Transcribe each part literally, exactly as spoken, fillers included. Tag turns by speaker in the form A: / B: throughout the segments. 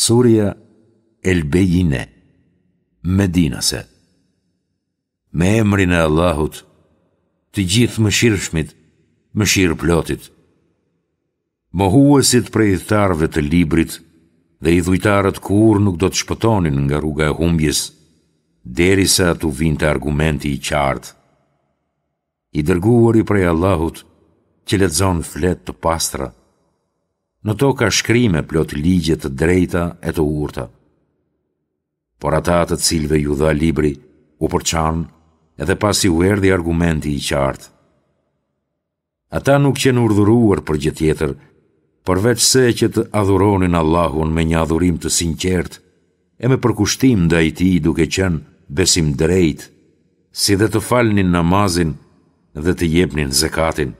A: Surja El Bejine, Medinase. Me emrin e Allahut, të Gjithëmëshirshmit, mëshirëplotit. Mohuesit prej ithtarëve të librit dhe idhujtarët kurrë nuk do të shpëtonin nga rruga e humbjes, derisa t'u vinte argumenti i qartë. I dërguari prej Allahut që lexon fletë të pastra. Në to ka shkrime plot ligje të drejta e të urta. Por ata të cilëve iu dha libri, u përçanë edhe pasi u erdhi argumenti i qartë. Ata nuk qenë urdhëruar për gjë tjetër, përveçse që të adhuronin Allahun me një adhurim të sinqertë e me përkushtim ndaj tij duke qenë besimdrejtë, si dhe të falnin namazin dhe të jepnin zekatin.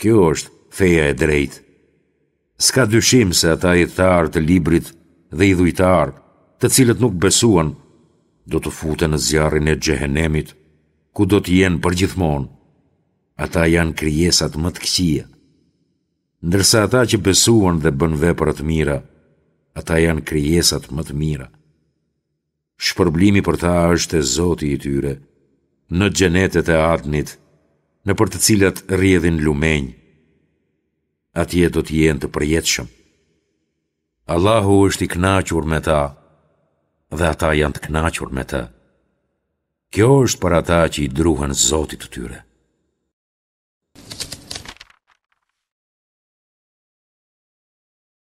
A: Kjo është feja e drejtë. S'ka dyshim se ata ithtarë të librit dhe idhujtarë, të cilët nuk besuan, do të futen në zjarrin e xhehenemit, ku do të jenë përgjithmonë. Ata janë krijesat më të këqija. Ndërsa ata që besuan dhe bënë vepra të mira, ata janë krijesat më të mira. Shpërblimi për ta është te Zoti i tyre, në xhenetet e Adnit, nëpër të cilat rrjedhin lumenj. Atje do të jenë të përjetshëm. Allahu është i kënaqur me ta dhe ata janë të kënaqur me të. Kjo është për ata që i druhen Zotit të tyre.